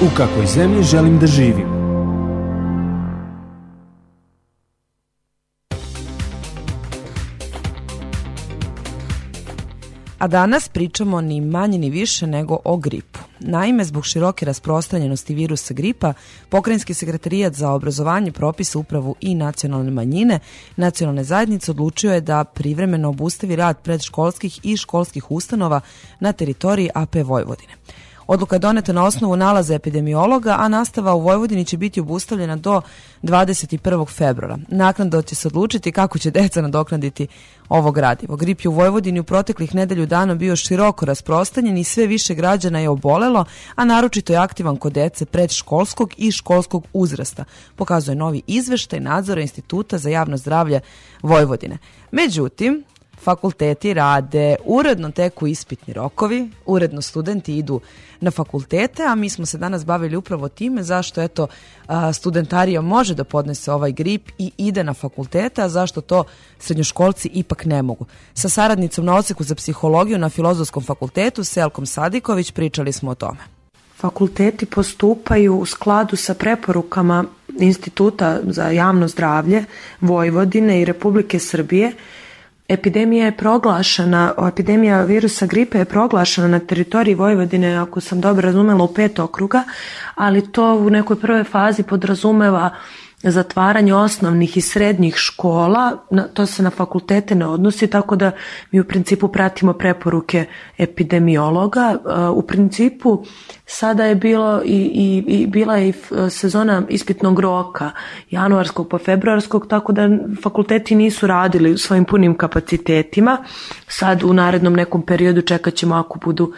U kakvoj zemlji želim da živim? A danas pričamo ni manje ni više nego o gripu. Naime, zbog široke rasprostranjenosti virusa gripa, Pokrajinski sekretarijat za obrazovanje, propisa, upravu i nacionalne manjine, nacionalne zajednice odlučio je da privremeno obustavi rad predškolskih i školskih ustanova na teritoriji AP Vojvodine. Odluka je doneta na osnovu nalaza epidemiologa, a nastava u Vojvodini će biti obustavljena do 21. februara. Naknadno će se odlučiti kako će deca nadoknaditi ovo gradivo. Grip je u Vojvodini u proteklih nedelju dana bio široko rasprostranjen i sve više građana je obolelo, a naročito je aktivan kod dece predškolskog i školskog uzrasta, pokazuje novi izveštaj nadzora Instituta za javno zdravlje Vojvodine. Međutim, fakulteti rade, uredno teku ispitni rokovi, uredno studenti idu na fakultete, a mi smo se danas bavili upravo time zašto studentarija može da podnese ovaj grip i ide na fakultete, a zašto to srednjoškolci ipak ne mogu. Sa saradnicom na odseku za psihologiju na Filozofskom fakultetu, Selkom Sadiković, pričali smo o tome. Fakulteti postupaju u skladu sa preporukama Instituta za javno zdravlje Vojvodine i Republike Srbije. Epidemija virusa gripe je proglašena na teritoriji Vojvodine, ako sam dobro razumela, u 5 okruga, ali to u nekoj prvoj fazi podrazumeva zatvaranje osnovnih i srednjih škola, to se na fakultete ne odnosi, tako da mi u principu pratimo preporuke epidemiologa. U principu sada je bila je sezona ispitnog roka, januarskog pa februarskog, tako da fakulteti nisu radili svojim punim kapacitetima. Sad u narednom nekom periodu čekat ćemo ako budu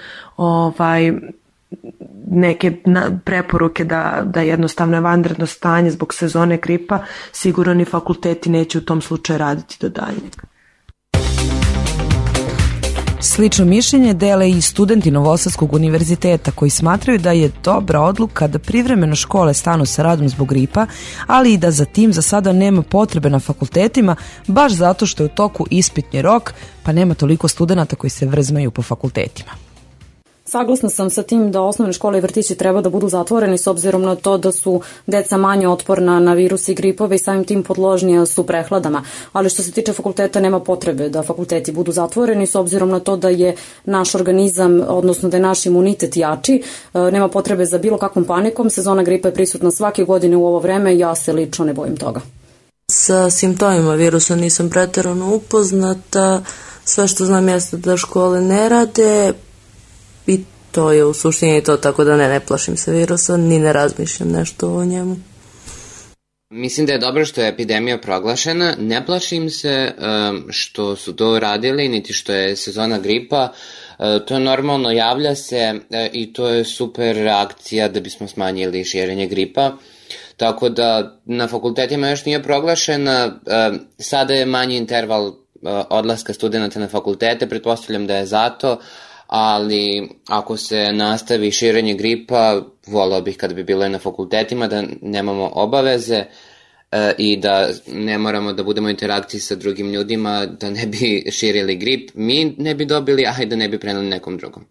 neke preporuke da jednostavno je vanredno stanje zbog sezone gripa, sigurno ni fakulteti neće u tom slučaju raditi do daljnjeg. Slično mišljenje dele i studenti Novosadskog univerziteta koji smatraju da je dobra odluka da privremeno škole stanu sa radom zbog gripa, ali i da za tim za sada nema potrebe na fakultetima, baš zato što je u toku ispitni rok, pa nema toliko studenata koji se vrzmaju po fakultetima. Saglasna sam sa tim da osnovne škole i vrtići treba da budu zatvoreni s obzirom na to da su deca manje otporna na virus i gripove i samim tim podložnija su prehladama. Ali što se tiče fakulteta, nema potrebe da fakulteti budu zatvoreni s obzirom na to da je naš organizam, odnosno da je naš imunitet jači. Nema potrebe za bilo kakvom panikom. Sezona gripa je prisutna svake godine u ovo vreme i ja se lično ne bojim toga. Sa simptomima virusa nisam preterano upoznata. Sve što znam jeste da škole ne rade, i to je u suštini to, tako da ne plašim se virusa, ni ne razmišljam nešto o njemu. Mislim da je dobro što je epidemija proglašena, ne plašim se što su to radili, niti što je sezona gripa, to je normalno, javlja se i to je super reakcija da bismo smanjili širenje gripa, tako da na fakultetima još nije proglašena, sada je manji interval odlaska studenta na fakultete, pretpostavljam da je zato, ali ako se nastavi širenje gripa, volao bih kada bi bilo i na fakultetima da nemamo obaveze i da ne moramo da budemo u interakciji sa drugim ljudima, da ne bi širili grip, mi ne bi dobili, a i da ne bi preneli nekom drugom.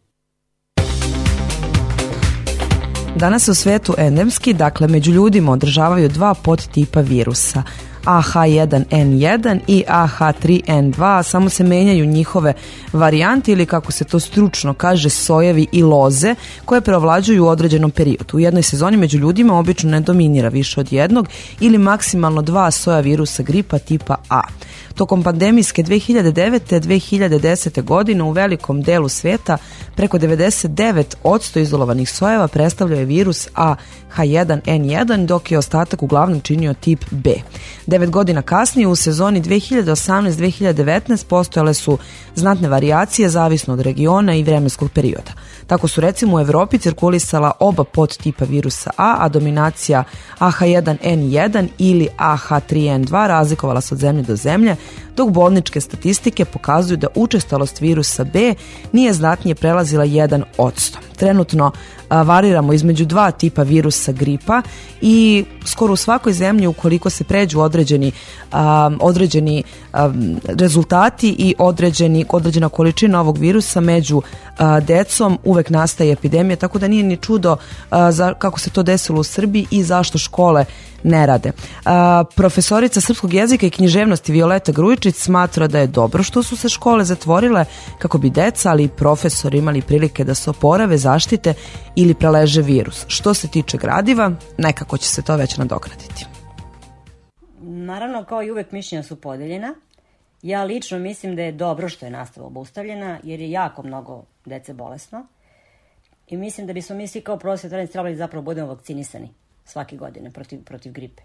Danas u svetu endemski, dakle među ljudima, održavaju 2 podtipa virusa, AH1N1 i AH3N2, samo se menjaju njihove varijante ili kako se to stručno kaže sojevi i loze koje preovlađuju u određenom periodu. U jednoj sezoni među ljudima obično ne dominira više od jednog ili maksimalno 2 soja virusa gripa tipa A. Tokom pandemijske 2009-2010. godine u velikom delu sveta preko 99% izolovanih sojeva predstavljao je virus AH1N1, dok je ostatak uglavnom činio tip B. 9 godina kasnije u sezoni 2018-2019 postojale su znatne varijacije zavisno od regiona i vremenskog perioda. Tako su recimo u Evropi cirkulisala oba podtipa virusa a dominacija AH1N1 ili AH3N2 razlikovala se od zemlje do zemlje, dok bolničke statistike pokazuju da učestalost virusa B nije znatnije prelazila 1%. trenutno variramo između dva tipa virusa gripa i skoro u svakoj zemlji ukoliko se pređu određeni rezultati i određena količina ovog virusa među decom uvek nastaje epidemija, tako da nije ni čudo kako se to desilo u Srbiji i zašto škole ne rade. Profesorica srpskog jezika i književnosti Violeta Grujičić smatra da je dobro što su se škole zatvorile kako bi deca, ali i profesori imali prilike da se oporave, zaštite ili preleže virus. Što se tiče gradiva, nekako će se to već nadoknaditi. Naravno, kao i uvek, mišljenja su podeljena. Ja lično mislim da je dobro što je nastava obustavljena, jer je jako mnogo dece bolesno. I mislim da bismo mi svi kao prosvetari trebali zapravo budemo vakcinisani svake godine protiv gripe.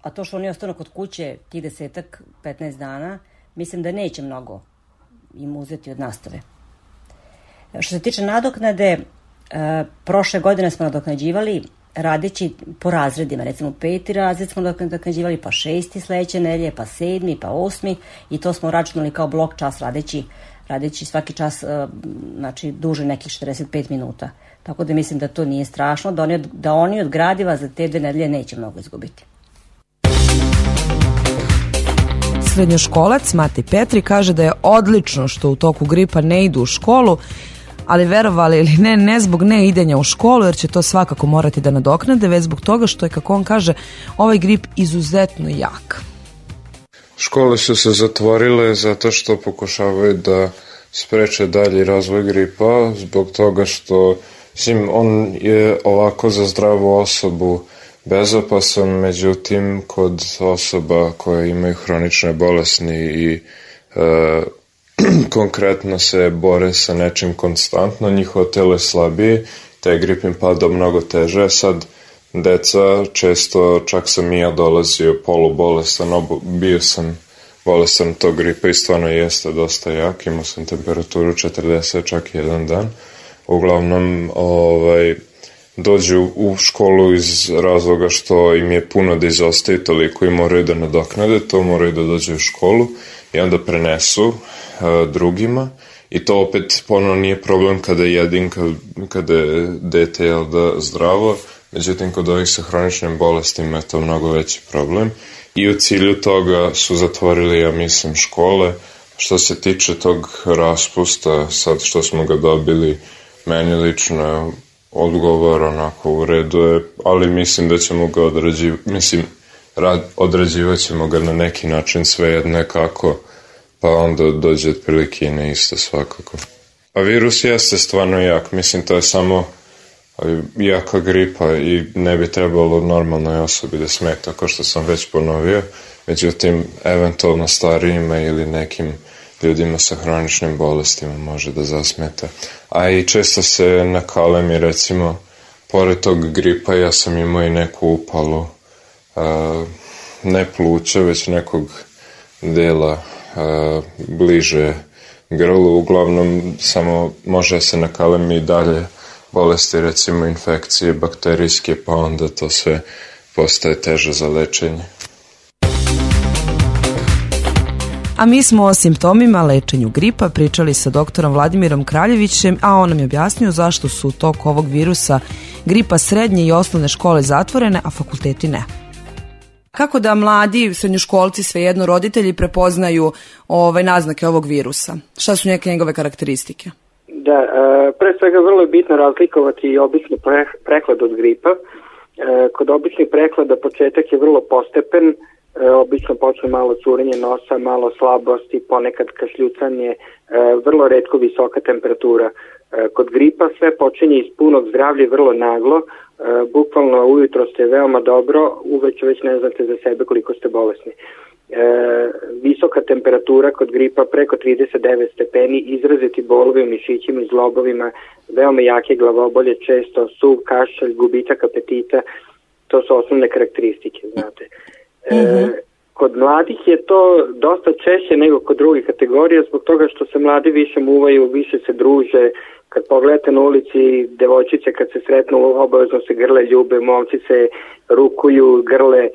A to što oni ostanu kod kuće tih 10-15 dana, mislim da neće mnogo im uzeti od nastave. Što se tiče nadoknade, prošle godine smo nadoknađivali radeći po razredima, recimo 5. razred smo nadoknađivali, pa 6. sledeće nedelje, pa 7. pa 8. i to smo računali kao blok čas radeći svaki čas, znači duže nekih 45 minuta. Tako da mislim da to nije strašno, da oni od gradiva za te 2 nedelje neće mnogo izgubiti. Srednjoškolac Matej Petri kaže da je odlično što u toku gripa ne idu u školu, ali verovali ili ne zbog ne idenja u školu, jer će to svakako morati da nadoknade, već zbog toga što je, kako on kaže, ovaj grip izuzetno jak. Škole su se zatvorile zato što pokušavaju da spreče dalji razvoj gripa, zbog toga što on je ovako za zdravu osobu bezopasan, međutim kod osoba koje imaju hronične bolesti i konkretno se bore sa nečim konstantno, njihovo telo je slabije, taj grip im pada mnogo teže. Sad deca često, čak sam i ja dolazio polubolestan, bio sam bolestan tog gripa i stvarno jeste dosta jak, imao sam temperaturu 40 čak jedan dan. Uglavnom dođu u školu iz razloga što im je puno da izostaje toliko i moraju da nadoknade, to moraju da dođu u školu i onda prenesu drugima i to opet ponovno nije problem kada je kada je dete zdravo, međutim kod ovih sa hroničnim bolestima je to mnogo veći problem i u cilju toga su zatvorili, ja mislim, škole. Što se tiče tog raspusta, sad što smo ga dobili, meni lično odgovor onako u redu je, ali mislim da ćemo ga odrađivat ćemo ga na neki način, svejedno kako, pa onda dođe otprilike i na isto svakako. A virus jeste stvarno jak, mislim to je samo jaka gripa i ne bi trebalo normalnoj osobi da smeta, kao što sam već ponovio, međutim eventualno starijima ili nekim ljudima sa hroničnim bolestima može da zasmeta. A i često se nakalemi, recimo, pored tog gripa ja sam imao i neku upalu, ne pluća, već nekog dela bliže grlu, uglavnom samo može se nakalemi i dalje bolesti, recimo infekcije bakterijske, pa onda to sve postaje teže za lečenje. A mi smo o simptomima, lečenju gripa pričali sa doktorom Vladimirom Kraljevićem, a on nam je objasnio zašto su u toku ovog virusa gripa srednje i osnovne škole zatvorene, a fakulteti ne. Kako da mladi srednjoškolci, svejedno roditelji, prepoznaju naznake ovog virusa? Šta su neke njegove karakteristike? Da, pre svega vrlo je bitno razlikovati obični prehlad od gripa. Kod običnih prehlada početak je vrlo postepen, obično počne malo curenje nosa, malo slabosti, ponekad kašljucanje, vrlo retko visoka temperatura. Kod gripa sve počinje iz punog zdravlja i vrlo naglo, bukvalno ujutro ste veoma dobro, uveče već ne znate za sebe koliko ste bolesni. Visoka temperatura kod gripa preko 39 stepeni, izraziti bolovi u mišićima i zglobovima, veoma jake glavobolje, često suv kašalj, gubitak apetita, to su osnovne karakteristike, znate. Kod mladih je to dosta češće nego kod drugih kategorija, zbog toga što se mladi više muvaju, više se druže. Kad pogledate na ulici, devojčice kad se sretnu obavezno se grle, ljube, momci se rukuju, grle,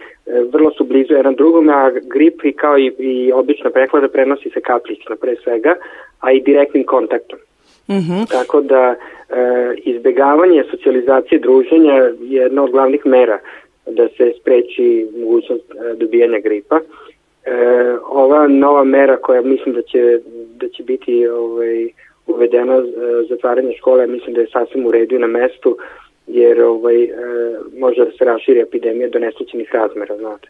vrlo su blizu jedan drugom, a grip i kao i obična prehlada prenosi se kapljično pre svega, a i direktnim kontaktom. Tako da izbegavanje socijalizacije druženja je jedna od glavnih mera da se spreči mogućnost dobijanja gripa. Ova nova mera koja mislim da će biti uvedena zatvaranje škole, mislim da je sasvim u redu i na mestu, jer može da se raširi epidemija do neslućenih razmera, znate.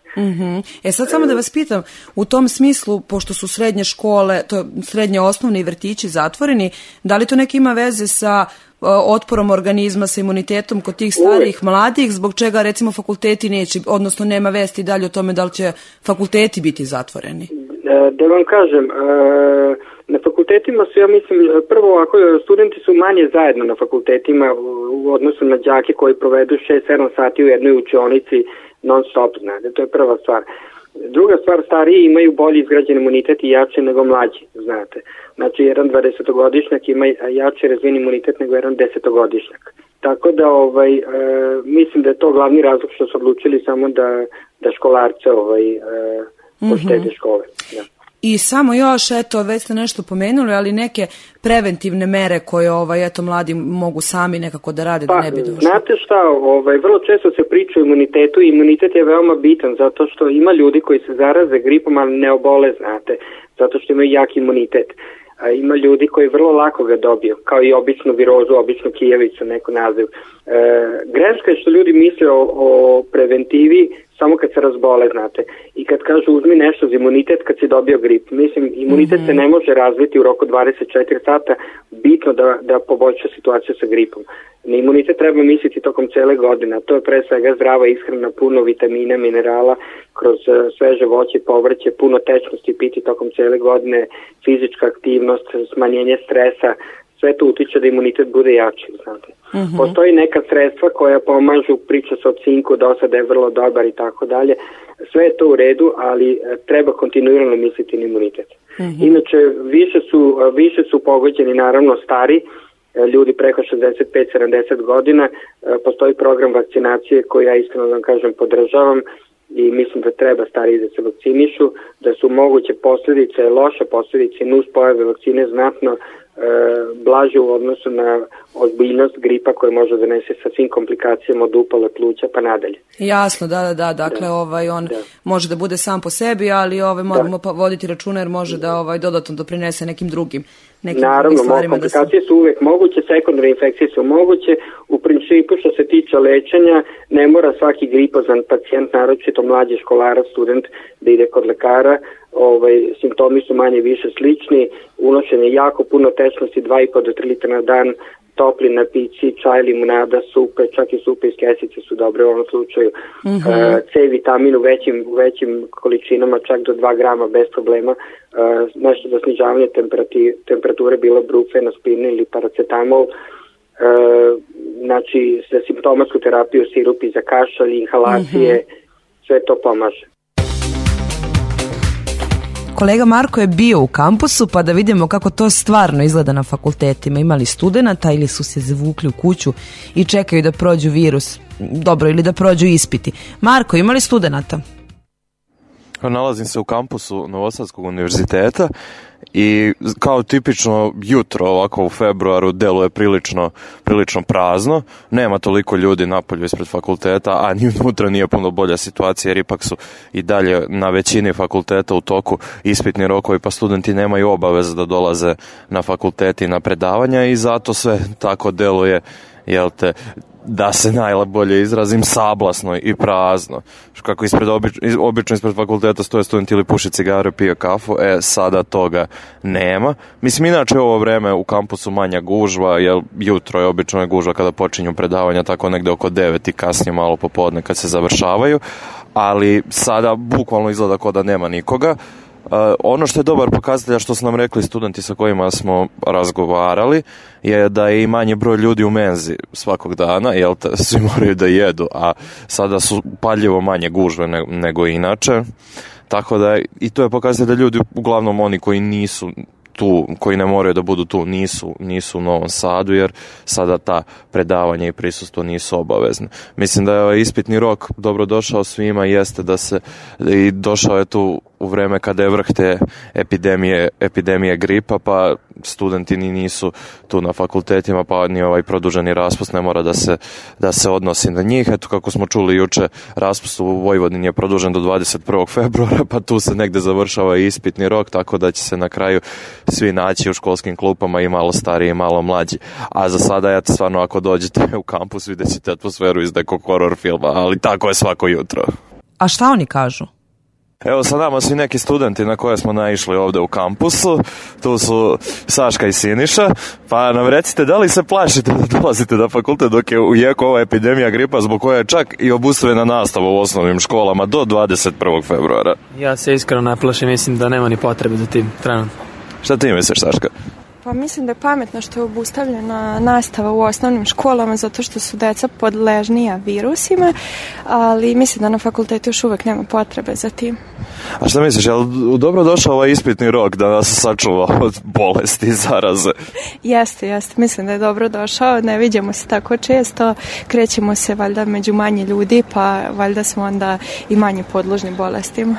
Sad samo da vas pitam, u tom smislu, pošto su srednje škole, to srednje osnovne i vrtići zatvoreni, da li to neki ima veze sa otporom organizma, sa imunitetom kod tih starijih mladih, zbog čega recimo fakulteti neće, odnosno nema vesti dalje o tome da li će fakulteti biti zatvoreni? Da vam kažem, na fakultetima su, ja mislim, prvo ovako, studenti su manje zajedno na fakultetima u odnosu na đake koji provedu 6-7 sati u jednoj učionici non stop, znate, to je prva stvar. Druga stvar, stariji imaju bolji izgrađen imunitet i jače nego mlađi, znate. Znači, jedan 20-godišnjak ima jače razvijen imunitet nego jedan 10-godišnjak. Tako da, mislim da je to glavni razlog što su odlučili samo da školarce poštede škole. Ja. I samo još, već ste nešto pomenuli, ali neke preventivne mere koje mladi mogu sami nekako da rade da ne bi došlo. Znate šta, vrlo često se priča o imunitetu i imunitet je veoma bitan zato što ima ljudi koji se zaraze gripom, ali ne obole, znate, zato što imaju jak imunitet. Ima ljudi koji vrlo lako ga dobiju, kao i običnu virozu, običnu kijevicu, neko naziv. Greška je što ljudi misle o preventivi samo kad se razbole, znate. I kad kažu uzmi nešto za imunitet kad si dobio grip. Mislim, imunitet se ne može razviti u roku 24 sata, bitno da poboljša situaciju sa gripom. Na imunitet treba misliti tokom cele godine. To je pre svega zdrava ishrana, puno vitamina, minerala, kroz sveže voće, povrće, puno tečnosti piti tokom cele godine, fizička aktivnost, smanjenje stresa, sve to utiče da imunitet bude jači, znate. Postoji neka sredstva koja pomažu, priča se o cinku, do sada je vrlo dobar i tako dalje. Sve je to u redu, ali treba kontinuirano misliti na imunitet. Inače, više su pogođeni naravno stari, ljudi preko 65-70 godina. Postoji program vakcinacije koji ja iskreno vam kažem podržavam i mislim da treba stariji da se vakcinišu, da su moguće posljedice, loše posljedice, nuspojave vakcine znatno blaže u odnosu na ozbiljnost gripa koja može donese sa svim komplikacijama od upale pluća pa nadalje. Jasno, da. Dakle, on može da bude sam po sebi, ali moramo voditi računa jer može da dodatno doprinese nekim drugim Naravno, komplikacije su uvek moguće, sekundarne infekcije su moguće. U principu što se tiče lečenja, ne mora svaki gripozan pacijent, naročito mlađi školara, student, da ide kod lekara. Simptomi su manje više slični, unošenje jako puno tečnosti, 2,5 do 3 litra na dan, topli napici, čaj, limunada, supe, čak i supe iz kesice su dobre u ovom slučaju. C vitamin u većim količinama, čak do 2 grama bez problema. Nešto za snižavanje temperature, bilo brufen, aspirin ili paracetamol. Znači, za simptomatsku terapiju, sirupi za kašalj, inhalacije, sve to pomaže. Kolega Marko je bio u kampusu, pa da vidimo kako to stvarno izgleda na fakultetima. Imali studenata ili su se zavukli u kuću i čekaju da prođu virus, dobro, ili da prođu ispiti. Marko, imali studenata? Nalazim se u kampusu Novosadskog univerziteta i kao tipično jutro ovako u februaru deluje prilično prazno. Nema toliko ljudi napolju ispred fakulteta, a ni unutra nije puno bolja situacija jer ipak su i dalje na većini fakulteta u toku ispitni rokovi, pa studenti nemaju obaveze da dolaze na fakultet i na predavanja i zato sve tako deluje, da se najbolje izrazim, sablasno i prazno. Kako obično ispred fakulteta stoje studenti ili puše cigare, pije kafu, sada toga nema. Mislim, inače ovo vreme u kampusu manja gužva, jer jutro je obično gužva kada počinju predavanja, tako negde oko 9 i kasnije malo popodne kad se završavaju, ali sada bukvalno izgleda kao da nema nikoga. Ono što je dobar pokazatelj, što su nam rekli studenti sa kojima smo razgovarali, je da je i manji broj ljudi u menzi svakog dana, svi moraju da jedu, a sada su paljivo manje gužve nego inače, tako da i to je pokazatelj da ljudi, uglavnom oni koji nisu tu, koji ne moraju da budu tu, nisu u Novom Sadu, jer sada ta predavanja i prisustvo nisu obavezne. Mislim da je ispitni rok dobro došao svima, jeste da se i došao je tu u vreme kada je vrh te epidemije gripa, pa studenti ni nisu tu na fakultetima, pa ni ovaj produženi raspust ne mora da se odnosi na njih. Eto, kako smo čuli juče, raspust u Vojvodini je produžen do 21. februara, pa tu se negde završava i ispitni rok, tako da će se na kraju svi naći u školskim klupama, i malo stariji i malo mlađi. A za sada, eto, stvarno, ako dođete u kampus, vidjet ćete atmosferu iz nekog horror filma, ali tako je svako jutro. A šta oni kažu? Evo, sa nama su i neki studenti na koje smo naišli ovde u kampusu. Tu su Saška i Siniša. Pa nam recite, da li se plašite da dolazite na fakultet dok je u jeku ova epidemija gripa, zbog koje je čak i obustavljena nastava u osnovnim školama do 21. februara? Ja se iskreno ne plašim, mislim da nema ni potrebe za tim trenutno. Šta ti misliš, Saška? Pa mislim da je pametno što je obustavljena nastava u osnovnim školama zato što su deca podležnija virusima, ali mislim da na fakultetu još uvek nema potrebe za tim. A šta misliš, je li dobro došao ovaj ispitni rok da nas sačuva od bolesti i zaraze? Jeste, mislim da je dobro došao, ne vidimo se tako često, krećemo se valjda među manje ljudi, pa valjda smo onda i manje podložni bolestima.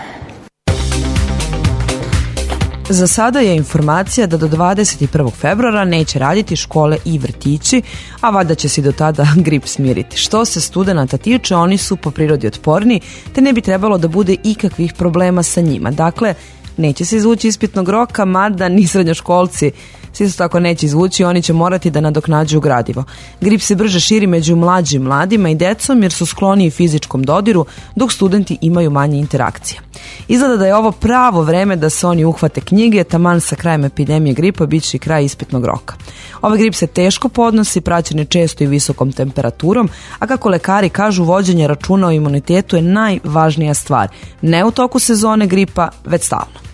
Za sada je informacija da do 21. februara neće raditi škole i vrtići, a valjda će se do tada grip smiriti. Što se studenata tiče, oni su po prirodi otporni, te ne bi trebalo da bude ikakvih problema sa njima. Dakle, neće se izvući ispitnog roka, mada ni srednjoškolci se isto tako neće izvući, oni će morati da nadoknađuju gradivo. Grip se brže širi među mlađim mladima i decom jer su skloniji fizičkom dodiru, dok studenti imaju manje interakcije. Izgleda da je ovo pravo vreme da se oni uhvate knjige, taman sa krajem epidemije gripa bit će i kraj ispitnog roka. Ovaj grip se teško podnosi, praćen je često i visokom temperaturom, a kako lekari kažu, vođenje računa o imunitetu je najvažnija stvar. Ne u toku sezone gripa, već stalno.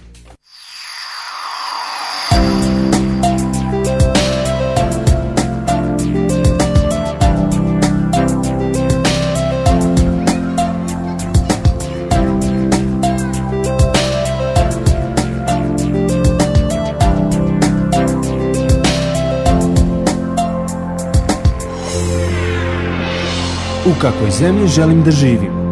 U kakvoj zemlji želim da živim?